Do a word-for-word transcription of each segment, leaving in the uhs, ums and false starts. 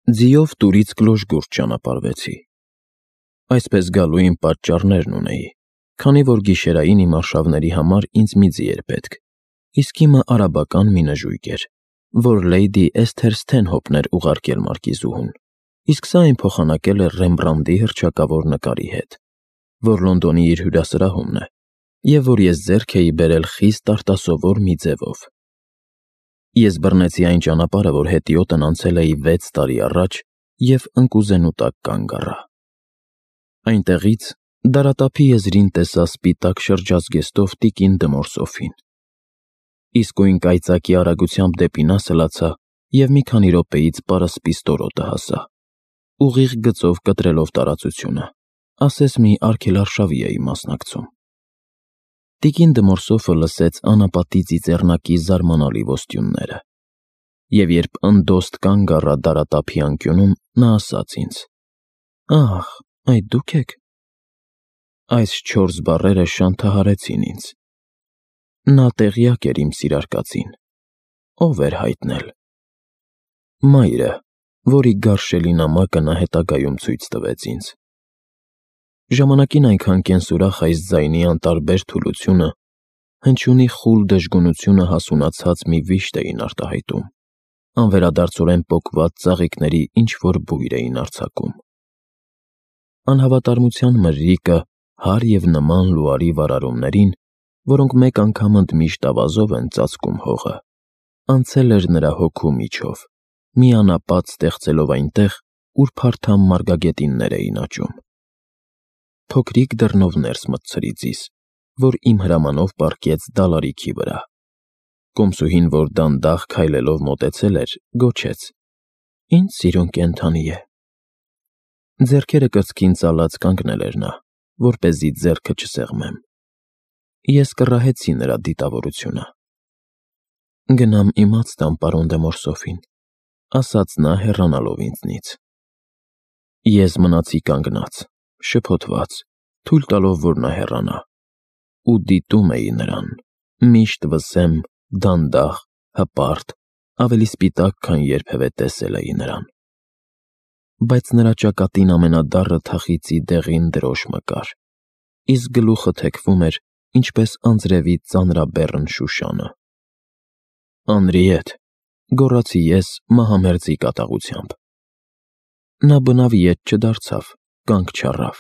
Ձիով տուրից Գլոժգուրդ ճանապարհվեցի։ Այսպես գալու իմ պատճառներն ունեի, քանի որ գիշերային իմ արշավների համար ինձ մի ձի էր պետք, իսկ իմը արաբական մի նժույգ էր, որ Լեյդի Էսթեր Սթենհոփն էր ուղարկել Մարկիզուհուն, իսկ սա այն փոխանակել էր Ռեմբրանդի հռչակավոր նկարի հետ, որ Լոնդոնի իր հյուրասրահումն է, և որ ես ձեռք էի բերել խիստ արտասովոր մի ձևով։ Ես բռնեցի այն ճանապարհը, որ հետիոտն անցել էի վեց տարի առաջ և ընկուզենու տակ կանգ առա։ Այնտեղից դարատափի եզրին տեսա սպիտակ շրջազգեստով տիկին Դմորսոֆին։ Իսկույն կայծակի արագությամբ դեպի նա սլացա և մի քանի րոպեից պարսպի ստորոտը հասա, ուղիղ գծով կտրելով տարածությունը, ասես մի արգելարշավի էի մասնակցում։ Տիկին Դմորսոֆը լսեց անապատի ծիծեռնակի զարմանալի ոստյունները, և երբ ընդոստ կանգ առա դարատափի անկյունում, նա ասաց ինձ. «Ահ, այդ դու՞ք եք»։ Այս չորս բառերը շանթահարեցին ինձ։ Նա տեղյակ էր իմ սիրար կացին, ով էր հայտնել. մայրը, որի գարշելի նամակը նա հետագայում ցույց տվեց ինձ։ Ժամանակին այնքան կենսուրախ այս ձայնի անտարբեր թուլությունը հնչյունի խուլ դժգունությունը հասունացած մի վիշտ էին արտահայտում, անվերադարձորեն պոկված ծաղիկների ինչ-որ բույր էին արձակում։ Անհավատարմության մրրիկը հար և նման լուարի վարարումներին, որոնք մեկ անգամ ընդմիշտ ավազով են ծածկում հողը, անցել էր նրա հոգու միջով, մի անապատ ստեղծելով այնտեղ, ուր փարթամ մարգագետիններ էին աճում։ Փոքրիկ դռնով ներս մտցրի ձիզ, որ իմ հրամանով պառկեց դալարիքի վրա։ Կոմսուհին, որ դանդաղ քայլելով մոտեցել էր, գոչեց. «Ինչ սիրուն կենդանի է»։ Ձեռքերը կրծքին ծալած կանգնել էր նա, որպեսզի ձեռքը չսեղմեմ։ Ես կռահեցի նրա դիտավորությունը։ «Գնամ իմաց տամ պարոն Դեմորսոֆին», ասաց նա հեռանալով ինձնից։ Ես մնացի կանգնած, շփոթված, թույլ տալով, որ նա հեռանա, ու դիտում էի նրան, միշտ վսեմ, դանդաղ, հպարտ, ավելի սպիտակ, քան երբևէ տեսել էի նրան։ Բայց նրա ճակատին ամենադառը թախիծի դեղին դրոշմը կար, իսկ գլուխը թեքվում էր, ինչպես անձրևի ծանրաբեռն շուշանը։ «Անրիետ», գոռացի ես մահամերձի կատաղությամբ։ Նա բնավ ետ չդարձավ, կանգ չառավ։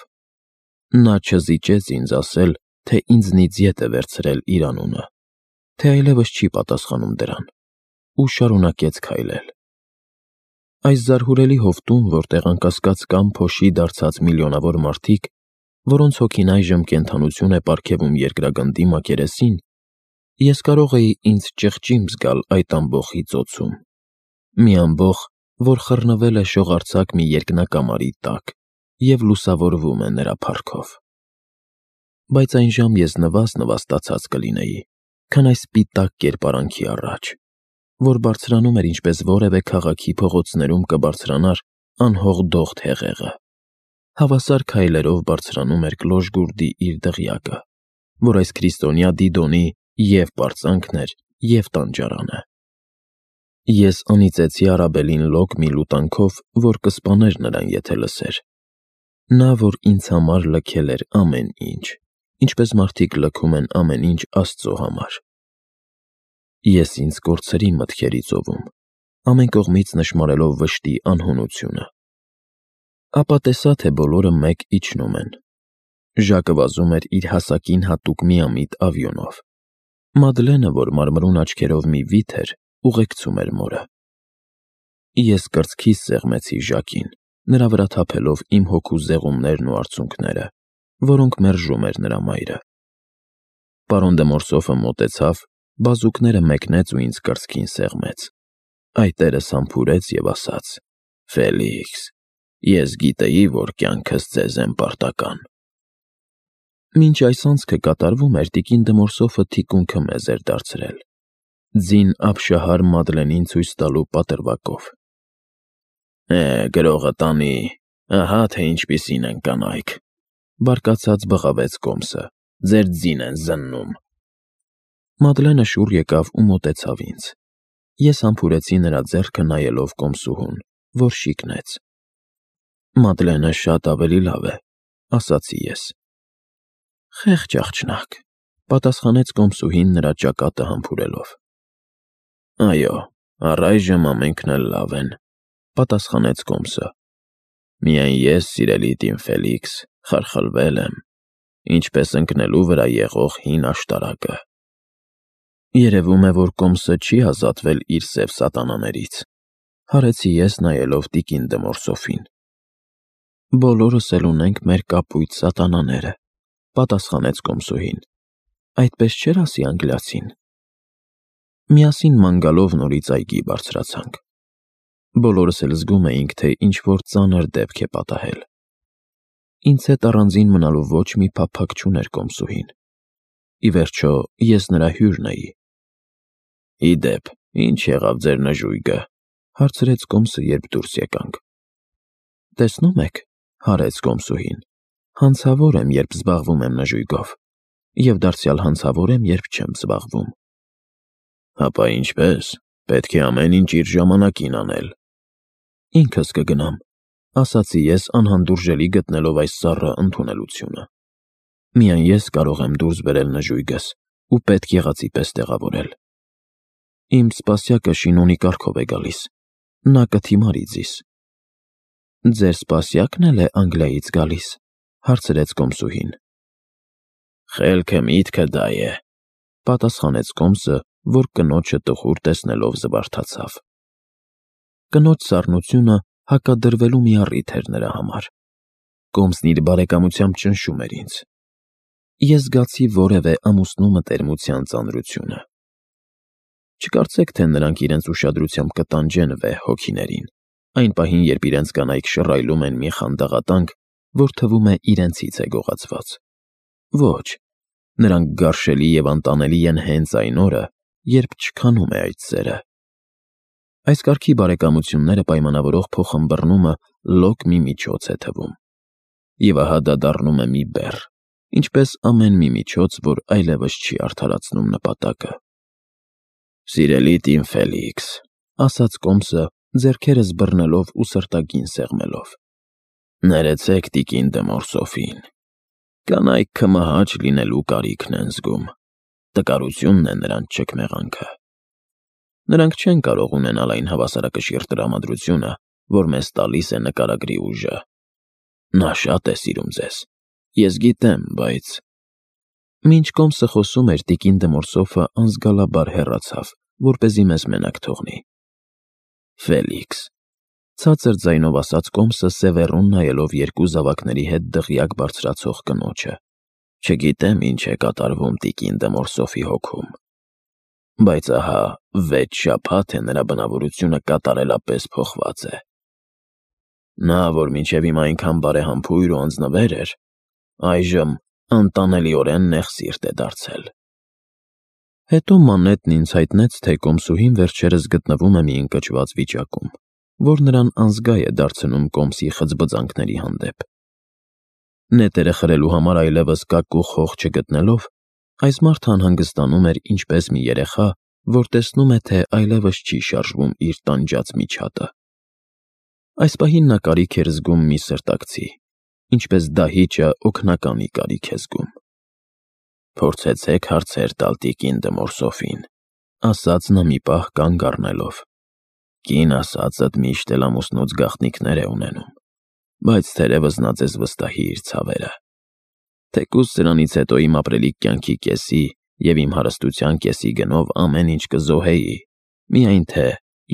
Նա չզիջեց ինձ ասել, թե ինձնից ետ է վերցրել իր անունը, թե այլևս չի պատասխանում դրան, ու շարունակեց քայլել։ Այս զարհուրելի հովտում, որտեղ անկասկած կան փոշի դարձած միլիոնավոր մարդիկ, որոնց հոգին այժմ կենդանություն է պարգևում երկրագնդի մակերեսին, ես կարող էի ինձ ճղճիմ զգալ այդ ամբոխի ծոցում, մի ամբոխ, որ խռնվել է շողարձակ մի երկնակամարի տակ և լուսավորվում է նրա փառքով։ Բայց այնժամ ես նվազ֊նվաստացած կլինեի, քան այս սպիտակ կերպարանքի առաջ, որ բարձրանում էր, ինչպես որևէ քաղաքի փողոցներում կբարձրանար անհող դողդ հեղեղը, հավասար քայլերով բարձրանում էր Կլոժգուրդի իր դղյակը, որ այս քրիստոնյա Դիդոնի և՛ պարծանքն էր, և՛ տանջարանը։ Ես անիծեցի առաբելին լոկ մի լուտանքով, որ կսպաներ նրան, եթե լսեր։ Նա, որ ինձ համար լքել էր ամեն ինչ, ինչպես մարդիկ լքում են ամեն ինչ Աստծո համար։ Ես ինձ կորցրի մտքերի ծովում, ամեն կողմից նշմարելով վշտի անհունությունը։ Ապա տեսա, թե բոլորը մեկ իջնում են։ Ժակը վազում էր իր հասակին հատուկ միամիտ ավյունով։ Մադլենը, որ մարմրուն աչքերով մի վիթ էր, ուղեկցում էր մորը։ Ես կրծքիս սեղմեցի Ժակին, նրա վրա թափելով իմ հոգու զեղումներն ու արցունքները, որոնք մերժում էր նրա մայրը։ Պարոն Դեմորսոֆը մոտեցավ, բազուկները մեկնեց ու ինձ կրծքին սեղմեց։ Այտերս համբուրեց և ասաց. «Ֆելիքս, ես գիտեի, որ կյանքս ձեզ եմ պարտական»։ Մինչ այս անցքը կատարվում էր, տիկին Դմորսոֆը թիկունքը մեզ էր դարձրել, ձին ապշահար Մադլենին ցույց տալու պատրվակով։ «Է, գրողը տանի, ահա թե ինչպիսին են կանայք», բարկացած բղավեց Կոմսը, «ձեր ձին են զննում»։ Մադլենը շուռ եկավ ու մոտեցավ ինձ։ Ես համբուրեցի նրա ձեռքը նայելով կոմսուհուն, որ շիկնեց։ Մադլենը շատ ավելի լավ է, ասացի ես։ Խեղճ աղջնակ, պատասխանեց կոմսուհին նրա ճակատը համբուրելով։ Այո, առայժմ ամենքն էլ լավ են, պատասխանեց կոմսը։ Միայն ես, սիրելի տին Ֆելիքս, խարխլվել եմ, ինչպես ընկնելու վրա եղող հին աշտարակը։ Երևում է, որ կոմսը չի ազատվել իր սև սատանաներից, հարեցի ես նայելով տիկին Դմորսոֆին։ Բոլորս էլ ունենք մեր կապույտ սատանաները, պատասխանեց կոմսուհին, այդպես չէր ասի անգլիացին։ Միասին ման գալով նորից այգի բարձրացանք։ Բոլորս էլ զգում էինք, թե ինչ-որ ծանր դեպք է պատահել։ Ինձ հետ առանձին մնալու ոչ մի փափագ չուներ կոմսուհին։ Ի վերջո, ես նրա հյուրն էի։ Ի դեպ, ինչ եղավ ձեր նժույգը, հարցրեց կոմսը, երբ դուրս եկանք։ Տեսնում եք, հարեց կոմսուհին, հանցավոր եմ, երբ զբաղվում եմ նժույգով, և դարձյալ հանցավոր եմ, երբ չեմ զբաղվում։ Հապա ինչպես, պետք է ամեն ինչ իր ժամանակին անել։ Ինքս կգնամ, ասացի ես անհանդուրժելի գտնելով այս սառը ընդունելությունը։ Միայն ես կարող եմ դուրս բերել նժույգս ու պետք եղածի պես տեղավորել։ Իմ սպասյակը շինոնի կարգով է գալիս, նա կթիմարի ձիզ։ Ձեր սպասյակն էլ է Անգլիայից գալիս, հարցրեց կոմսուհին։ Խելքը միտքը դա է, պատասխանեց կոմսը, որ կնոջը տխուր տեսնելով զվարթացավ։ Կնոջ սառնությունը հակադրվելու մի առիթ էր նրա համար։ Կոմսն իր բարեկամությամբ ճնշում էր ինձ։ Ես զգացի որևէ ամուսնու մտերմության ծանրությունը։ Չկարծեք, թե նրանք իրենց ուշադրությամբ կտանջեն վեհ հոգիներին, այն պահին, երբ իրենց կանայք շռայլում են մի խանդաղատանք, որ թվում է իրենցից է գողացված։ Ոչ, նրանք գարշելի և անտանելի են հենց այն օրը, երբ չքանում է այդ սերը։ Այս կարգի բարեկամությունները պայմանավորող փոխըմբռնումը լոկ մի միջոց է թվում։ Եվ ահա դա դառնում է մի բեռ, ինչպես ամեն մի միջոց, որ այլևս չի արդարացնում նպատակը։ Սիրելի տին Ֆելիքս, ասաց կոմսը, ձեռքերս բռնելով ու սրտագին սեղմելով։ Ներեցեք տիկին Դմորսոֆին։ Կանայք քմահաճ լինելու կարիքն են զգում։ Տկարությունն է նրանց չքմեղանքը։ Նրանք չեն կարող ունենալ այն հավասարակշիռ տրամադրությունը, որ մեզ տալիս է նկարագրի ուժը։ Նա շատ է սիրում ձեզ, ես գիտեմ, բայց… Մինչ կոմսը խոսում էր, տիկին Դմորսոֆը անզգալաբար հեռացավ, որպեսզի մեզ մենակ թողնի։ Ֆելիքս, ցածր ձայնով ասաց կոմսը, սևեռուն նայելով երկու զավակների հետ դղյակ բարձրացող կնոջը։ Չգիտեմ ինչ է կատարվում տիկին Դմորսոֆի հոգում, բայց ահա վեց շաբաթ է նրա բնավորությունը կատարելապես փոխված է։ Նա, որ մինչև հիմա այնքան բարեհամբույր ու անձնվեր էր, այժմ անտանելիորեն նեղսիրտ է դարձել։ Հետո Մանետն ինձ հայտնեց, թե կոմսուհին վերջերս գտնվում է մի ընկճված վիճակում, որ նրան անզգա է դարձնում կոմսի խծբծանքների հանդեպ։ Նետերը խրելու համար այլևս կակ ու խող չգտնելով, այս մարդը անհանգստանում էր ինչպես մի երեխա, որ տեսնում է, թե այլևս չի շարժվում իր տանջած միջատը։ Այս պահին նա կարիք էր զգում մի սրտակցի, ինչպես դահիճը օգնականի կարիք է զգում։ Փորձեցեք հարցեր տալ տիկին Դմորսոֆին, ասաց նա մի պահ կանգ առնելով։ Կին ասածդ միշտ էլ ամուսնուց գաղտնիքներ է ունենում, բայց թերևս նա ձեզ վստահի իր ցավերը։ Թեկուզ սրանից հետո իմ ապրելիք կյանքի կեսի և իմ հարստության կեսի գնով ամեն ինչ կզոհեի, միայն թե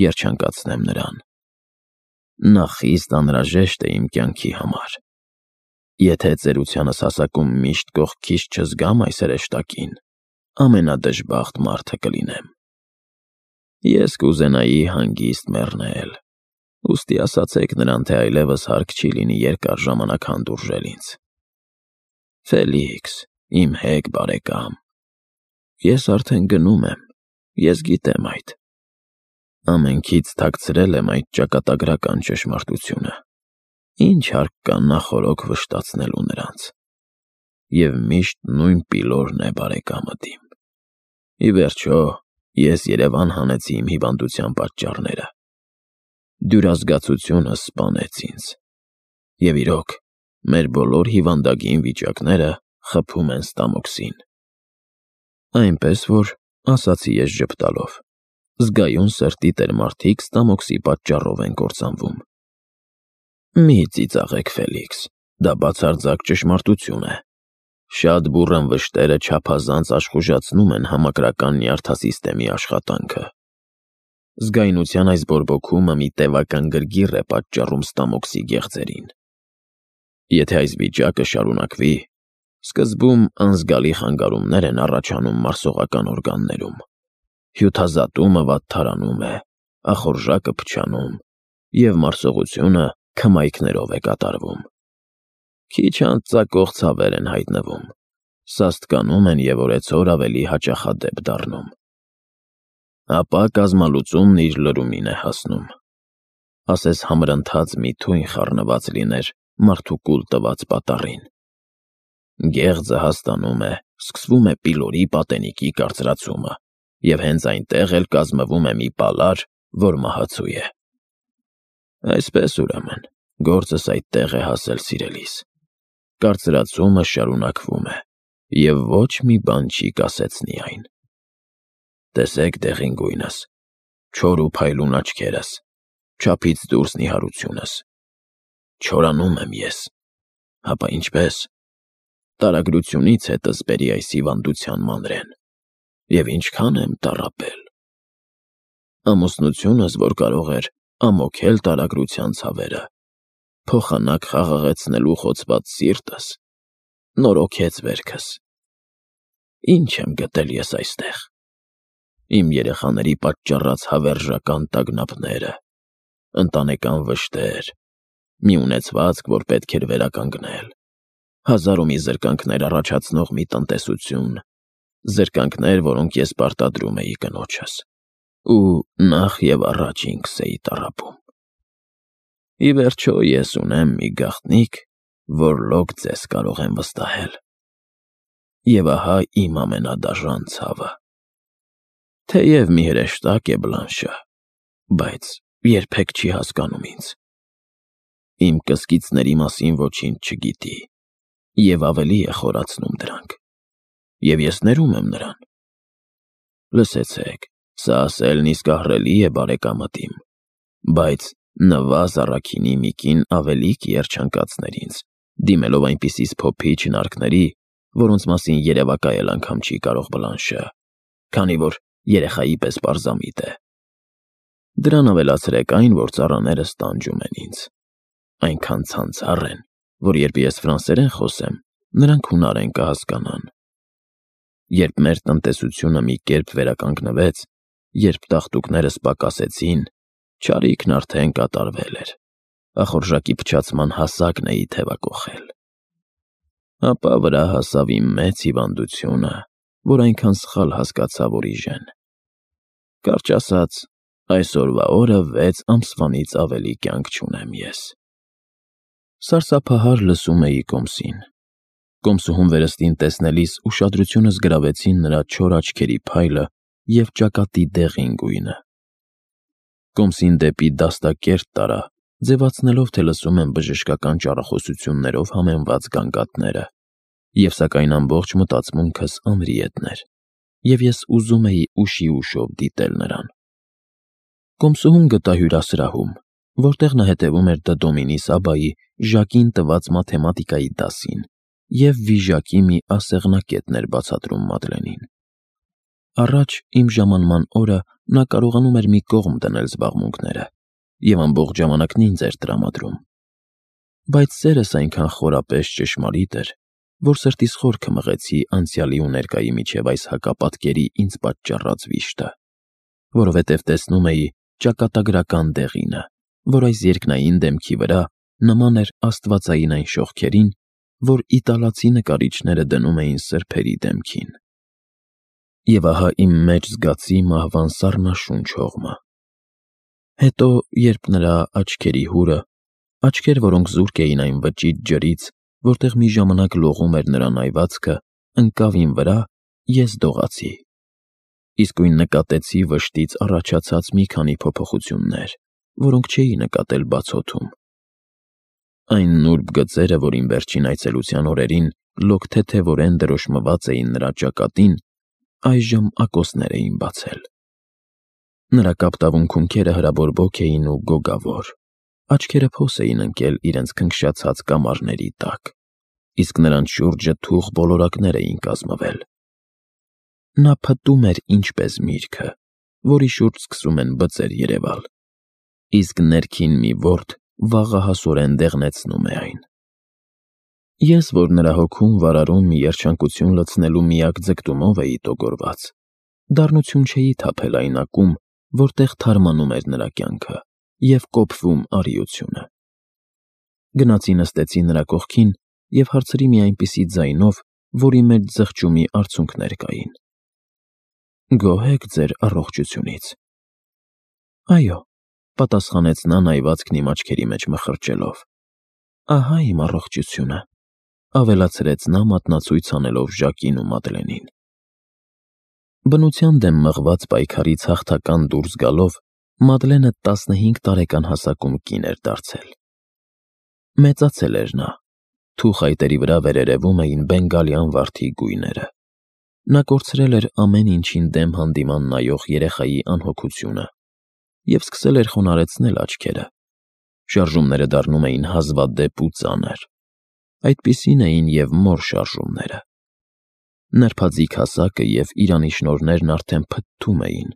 երջանկացնեմ նրան։ Նա խիստ անհրաժեշտ է իմ կյանքի համար։ Եթե ծերությանս հասակում միշտ կողքից չզգամ այս հրեշտակին, ամենադժբախտ մարդը կլինեմ։ Ես կուզենայի հանգիստ մեռնել, ուստի ասացեք նրան, թե այլևս հարկ չի լինի երկար ժամանակ հանդուրժել ինձ։ Ֆելիքս, իմ հեգ բարեկամ, ես արդեն գնում եմ, ես գիտեմ այդ։ Ամենքից թաքցրել եմ այդ ճակատագրական ճշմարտությունը։ Ինչ հարկ կա նախօրոք վշտացնելու նրանց։ Եվ միշտ նույն պիլորն է բարեկամդ իմ։ Ի վերջո, ես Երևան հանեցի իմ հիվանդության պատճառները։ Դյուրազգացությունը սպանեց ինձ։ Եվ իրոք, մեր բոլոր հիվանդագին վիճակները խփում են Ստամոքսին։ Այնպես որ, ասացի ես ժպտալով, զգայուն սրտի տեր մարդիկ Ստամոքսի պատճառով են կործանվում։ Մի ծիծաղեք, Ֆելիքս, դա բացարձակ ճշմարտություն է։ Շատ բուռն վշտերը չափազանց աշխուժացնում են համակրական նյարդասիստեմի աշխատանքը։ Զգայունության այս բորբոքումը մի տևական գրգիռ է պատճառում Ստամոքսի գեղձերին։ Եթե այս վիճակը շարունակվի, սկզբում անզգալի խանգարումներ են առաջանում մարսողական օրգաններում։ Հյութազատումը վատթարանում է, ախորժակը փչանում, և մարսողությունը քմայքներով է կատարվում։ Քիչ անց ծակող ցավեր են հայտնվում, սաստկանում են և օրեցօր ավելի հաճախադեպ դառնում։ Ապա կազմալուծումն իր լրումին է հասնում, ասես համրընթաց մի թույն խառնված լիներ մարդու կուլ տված պատառին։ Գեղձը հաստանում է, սկսվում է պիլորի պատենիքի կարծրացումը, և հենց այնտեղ էլ կազմվում է մի պալար, որ մահացու է։ Այսպես, ուրեմն, գործս այդտեղ է հասել, սիրելիս։ Կարծրացումը շարունակվում է, և ոչ մի բան չի կասեցնի այն։ Տեսեք դեղին գույնս, չոր ու փայլուն աչքերս, չափից դուրս նիհարությունս։ Չորանում եմ ես։ Հապա ինչպես։ Տարագրությունից հետս բերի այս հիվանդության մանրեն։ Եվ ինչքան եմ տառապել։ Ամուսնությունս, որ կարող էր ամոքել տարագրության ցավերը, փոխանակ խաղաղեցնելու խոցված սիրտս, նորոգեց վերքս։ Ինչ եմ գտել ես այստեղ։ Իմ երեխաների պատճառած հավերժական տագնապները, ընտանեկան վշտեր, մի ունեցվածք, որ պետք էր վերականգնել, հազար ու մի զրկանքներ առաջացնող մի տնտեսություն, զրկանքներ, որոնք ես պարտադրում էի կնոջս, ու նախ և առաջ ինքս էի տառապում։ Ի վերջո ես ունեմ մի գաղտնիք, որ լոկ ձեզ կարող եմ վստահել։ Եվ ահա իմ ամենադաժան ցավը։ Թեև մի հրեշտակ է Բլանշը, բայց երբեք չի հասկանում ինձ։ Իմ կսկիցների մասին ոչինչ չգիտի, և ավելի է խորացնում դրանք։ Եվ ես ներում եմ նրան։ Լսեցեք, սա ասելն իսկ ահռելի է բարեկամդ իմ, բայց նվազ առաքինի մի կին ավելի կերջանկացներ ինձ, դիմելով այնպիսի սփոփիչ հնարքների, որոնց մասին երևակայել անգամ չի կարող Բլանշը, քանի որ երեխայի պես պարզամիտ է։ Դրան ավելացրեք այն, որ ծառաներս տանջում են ինձ, այնքան ցանցառ են, որ երբ ես ֆրանսերեն խոսեմ, նրանք հունարեն կհասկանան։ Երբ մեր տնտեսությունը մի կերպ վերականգնվեց, երբ տաղտուկներս պակասեցին, չարիքն արդեն կատարվել էր, ախորժակի փչացման հասակն էի թևակոխել։ Ապա վրա հասավ իմ մեծ հիվանդությունը, որ այնքան սխալ հասկացա, որ իժեն։ Կարճ ասած, այսօրվա օրը վեց ամսվանից ավելի կյանք չունեմ ես։ Սարսափահար լսում էի Կոմսին։ Կոմսուհուն վերստին տեսնելիս ուշադրությունս գրավեցին նրա չոր աչքերի փայլը և ճակատի դեղին գույնը։ Կոմսին դեպի դաստակերտ տարա, ձևացնելով, թե լսում եմ բժշկական ճառախոսություններով համեմված գանգատները, և սակայն ամբողջ մտածմունքս անրի հետներ, և ես ուզում էի ուշի ուշով դիտել նրան։ Կոմսուհուն գտա հյուրասրահում, որտեղ նա հետևում էր Դդոմինի Սաբայի Ժակին տված մաթեմատիկայի դասին և վիժակի մի ասեղնակետն էր բացատրում Մադլենին։ Առաջ իմ ժամանման օրը նա կարողանում էր մի կողմ դնել զբաղմունքները և ամբողջ ժամանակն ինձ էր տրամադրում։ Բայց սերս այնքան խորապես ճշմարիտ էր, որ սրտիս խորքը մղեցի անցյալի ու ներկայի միջև այս հակապատկերի ինձ պատճառած վիշտը, որովհետև տեսնում էի ճակատագրական դեղինը, որ այս երկնային դեմքի վրա նման էր աստվածային այն շողքերին, որ իտալացի նկարիչները դնում էին սրբերի դեմքին։ Եվ ահա իմ մեջ զգացի մահվան սառնաշունչ հողմը։ Հետո, երբ նրա աչքերի հուրը, աչքեր, որոնք զուրկ էին այն վճիտ ջրից, որտեղ մի ժամանակ լողում էր նրա նայվածքը, ընկավ իմ վրա, ես դողացի։ Իսկույն նկատեցի վշտից առաջացած մի քանի փոփոխություններ որոնք չէի նկատել բացօթում։ Այն նուրբ գծերը, որին վերջին այցելության օրերին լոկթեթևորեն դրոշմված էին նրա ճակատին, այժմ ակոսներ էին բացել։ Նրա կապտավուն քունքերը հրաբորբոք էին ու գոգավոր, աչքերը փոս էին ընկել իրենց քնքշացած կամարների տակ, իսկ նրանց շուրջը թուխ բոլորակներ էին կազմվել։ Նա փտում էր ինչպես միրգը, որի շուրջ սկսում են բծեր երևալ, իսկ ներքին մի որդ վաղահասորեն դեղնեցնում է այն։ Ես, որ նրա հոգում վարարում մի երջանկություն լցնելու միակ ձգտումով էի տոգորված, դառնություն չէի թափել այն ակում, որտեղ թարմանում էր նրա կյանքը և կոփվում արիությունը։ Գնացի նստեցի նրա կողքին և հարցրի մի այնպիսի ձայնով, որի մեջ զղջումի արցունքներ կային. «Գոհ եք ձեր առողջությունից»։ «Այո», պատասխանեց նա նայվածքն իմ աչքերի մեջ մխրճելով։ «Ահա իմ առողջությունը», ավելացրեց նա մատնացույց անելով Ժակին ու Մադլենին։ Բնության դեմ մղված պայքարից հաղթական դուրս գալով, Մադլենը տասնհինգ տարեկան հասակում կին էր դարձել։ Մեծացել էր նա, թուխ այտերի վրա վերերևում էին բենգալյան վարդի գույները։ Նա կորցրել էր ամեն ինչին դեմ հանդիման նայող երեխայի անհոգությունը և սկսել էր խոնարհեցնել աչքերը։ Շարժումները դառնում էին հազվադեպ ու ծանր։ Այդպիսին էին և մոր շարժումները։ Նրբաձիգ հասակը և իրանի շնորհներն արդեն փթթում էին։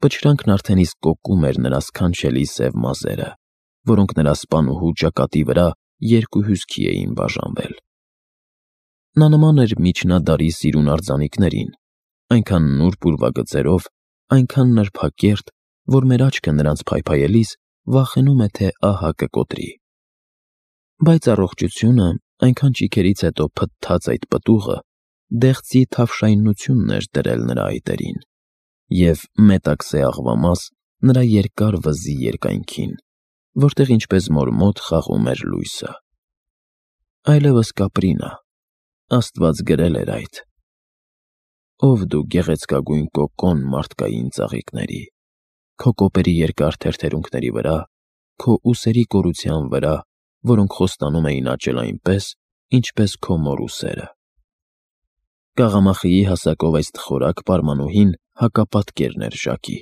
Պչրանքն արդեն իսկ կոկում էր նրա սքանչելի սև մազերը, որոնք նրա սպանուհու ճակատի վրա երկու հյուսքի էին բաժանվել։ Նա նման էր միջնադարի սիրուն արձանիկներին, այնքան նուրբ ուրվագծերով, այնքան նրբակերտ, որ մեր աչքը նրանց փայփայելիս վախենում է, թե ահա կկոտրի։ Բայց առողջությունը, այնքան ճիգերից հետո փթթած այդ պտուղը, դեղձի թավշայնությունն էր դրել նրա այտերին և մետաքսե աղվամաս նրա երկար վզի երկայնքին, որտեղ ինչպես մոր մոտ խաղում էր լույսը։ Այլևս կապրի նա, Աստված գրել էր այդ։ Ով դու գեղեցկագույն կոկոն մարդկային ծաղիկների, քո կոպերի երկար թերթերունքների վրա, քո ուսերի կորության վրա, որոնք խոստանում էին աճել այնպես, ինչպես քո մոր ուսերը։ Կաղամախիի հասակով այս թխորակ պարմանուհին հակապատկերն էր Ժակի։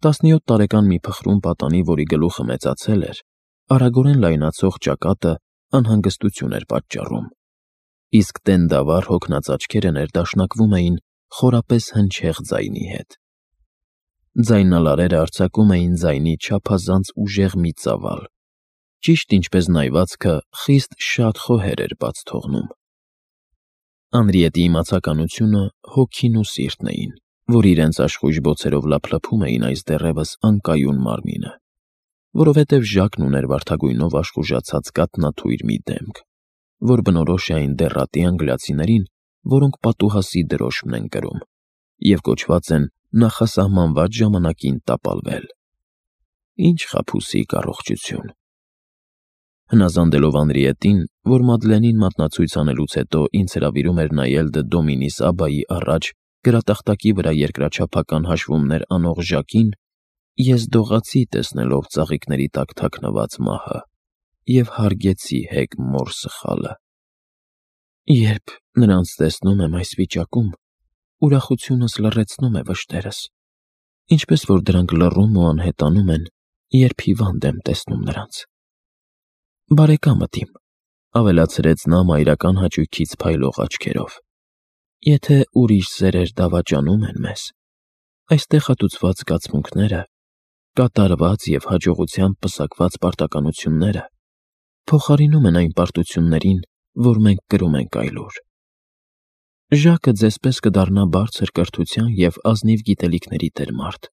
Տասնյոթ տարեկան մի փխրուն պատանի, որի գլուխը մեծացել էր, արագորեն լայնացող ճակատը անհանգստություն էր պատճառում, իսկ տենդավառ հոգնած աչքերը ներդաշնակվում էին խորապես հնչեղ ձայնի հետ։ Ձայնալարերը արձակում էին ձայնի չափազանց ուժեղ մի ծավալ, ճիշտ ինչպես նայվածքը խիստ շատ խոհեր էր բաց թողնում։ Անրիետի իմացականությունը հոգին ու սիրտն էին, որ իրենց աշխույժ բոցերով լափլփում էին այս դեռևս անկայուն մարմինը, որովհետև Ժակն ուներ վարդագույնով աշխուժացած կաթնաթույր մի դեմք, որ բնորոշ է այն դեռատի անգլիացիներին, որոնք պատուհասի դրոշմն են կրում և կոչված են նախասահմանված ժամանակին տապալվել։ Ինչ խաբուսիկ առողջություն։ Հնազանդելով Անրիետին, որ Մադլենին մատնացույց անելուց հետո ինձ հրավիրում էր նայել Դը Դոմինիս Աբբայի առաջ գրատախտակի վրա երկրաչափական հաշվումներ անող Ժակին, ես դողացի տեսնելով ծաղիկների տակ թաքնված մահը և հարգեցի հեգ մոր սխալը։ Երբ նրանց տեսնում եմ այս վիճակում, ուրախությունս լռեցնում է վշտերս, ինչպես որ դրանք լռում ու անհետանում են, երբ հիվանդ եմ տեսնում նրանց։ Բարեկամդ իմ, ավելացրեց նա մայրական հաճույքից փայլող աչքերով, եթե ուրիշ սերեր դավաճանում են մեզ, այստեղ հատուցված զգացմունքները, կատարված և հաջողությամբ պսակված պարտականությունները փոխարինում են այն պարտություններին, որ մենք կրում ենք այլուր։ Ժակը ձեզ պես կդառնա բարձր կրթության և ազնիվ գիտելիքների տեր մարդ։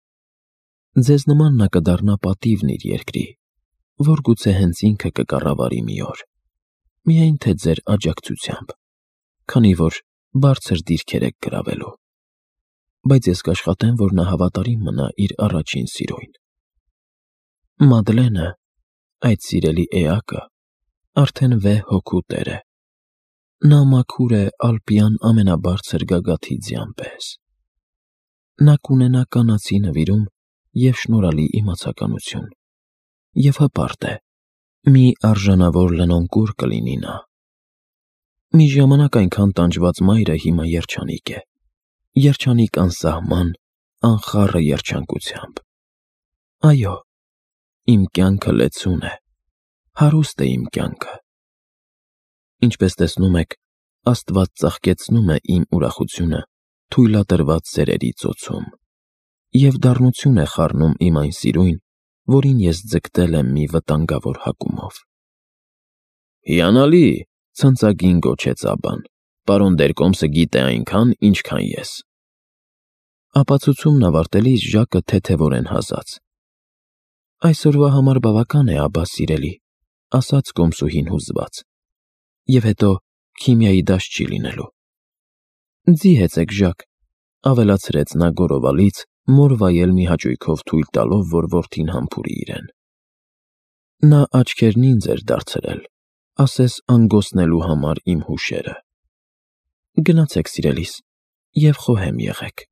Ձեզ նման նա կդառնա պատիվն իր երկրի, որ գուցե հենց ինքը կկառավարի մի օր, միայն թե ձեր աջակցությամբ, քանի որ բարձր դիրքեր եք գրավելու։ Բայց ես կաշխատեմ, որ նա հավատարիմ մնա իր առաջին սիրոյին։ Մադլենը, այդ սիրելի էակը, արդեն վեհ հոգու տեր է։ Նա մաքուր է ալպյան ամենաբարձր գագաթի ձյան պես։ Նա կունենա կանացի նվիրում և շնորհալի իմացականություն։ և հպարտ է, մի արժանավոր լնոնկուր կլինի նա։ Մի ժամանակ այնքան տանջված մայրը հիմա երջանիկ է, երջանիկ անսահման, անխառը երջանկությամբ։ Այո, իմ կյանքը լեցուն է, հարուստ է իմ կյանքը։ Ինչպես տեսնում եք, Աստված ծաղկեցնում է իմ ուրախությունը թույլատրված սերերի ծոցում և դառնություն է խառնում իմ այն սիրույն, որին ես ձգտել եմ մի վտանգավոր հակումով։ «Հիանալի», ցնծագին գոչեց Աբբան, «պարոն Դերկոմսը գիտե այնքան, ինչքան ես»։ Ապացուցումն ավարտելիս Ժակը թեթևորեն հազաց։ «Այսօրվա համար բավական է, Աբբա սիրելի», ասաց կոմսուհին հուզված։ «Եվ հետո քիմիայի դաս չի լինելու»։ «Ձի հեծեք, Ժակ», ավելացրեց նա գոռովալից, մոր վայել մի հաճույքով թույլ տալով, որ որդին համբուրի իրեն։ Նա աչքերն ինձ էր դարձրել, ասես անգոսնելու համար իմ հուշերը։ «Գնացեք, սիրելիս, և խոհեմ եղեք»։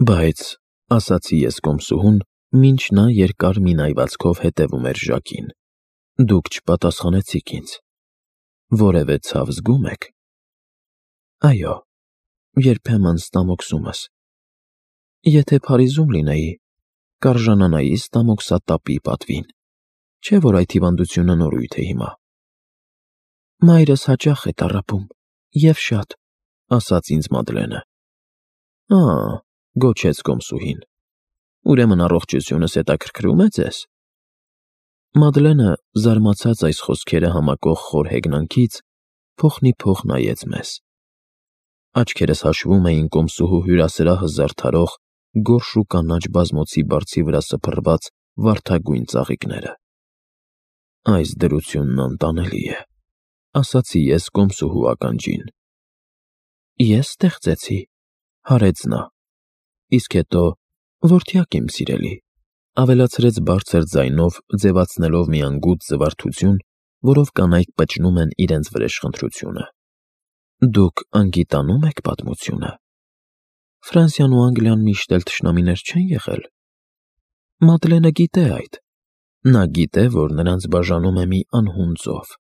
«Բայց», ասացի ես կոմսուհուն, մինչ նա երկար մի նայվածքով հետևում էր Ժակին, «դուք չպատասխանեցիք ինձ։ Որևէ ցավ զգում եք»։ «Այո, երբեմն ստամոքսումս։ Եթե Փարիզում լինեի, կարժանանայի ստամոքսատապի պատվին, չէ՞ որ այդ հիվանդությունը նորույթ է հիմա»։ «Մայրս հաճախ է տառապում, և շատ», ասաց ինձ Մադլենը։ «Ա՛», գոչեց կոմսուհին, «ուրեմն առողջությունս հետաքրքրում է ձեզ»։ Մադլենը, զարմացած այս խոսքերը համակող խոր հեգնանքից, փոխնիփոխ նայեց մեզ։ Աչքերս հաշվում էին կոմսուհու հյուրասրահը զարդարող գորշ ու կանաչ բազմոցի բարձի վրա սփռված վարդագույն ծաղիկները։ «Այս դրությունն անտանելի է», ասացի ես կոմսուհու ականջին։ «Ես ստեղծեցի», հարեց նա։ «Իսկ հետո, որդյակ իմ սիրելի», ավելացրեց բարձր ձայնով, ձևացնելով մի անգութ զվարթություն, որով կանայք պճնում են իրենց վրեժխնդրությունը, «դուք անգիտանո՞ւմ եք պատմությունը։ Ֆրանսիան ու Անգլիան միշտ էլ թշնամիներ չեն եղել։ Մադլենը գիտե այդ։ Նա գիտե, որ նրանց բաժանում է մի անհուն ծով,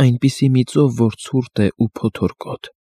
այնպիսի մի ծով, որ ցուրտ է ու փոթորկոտ։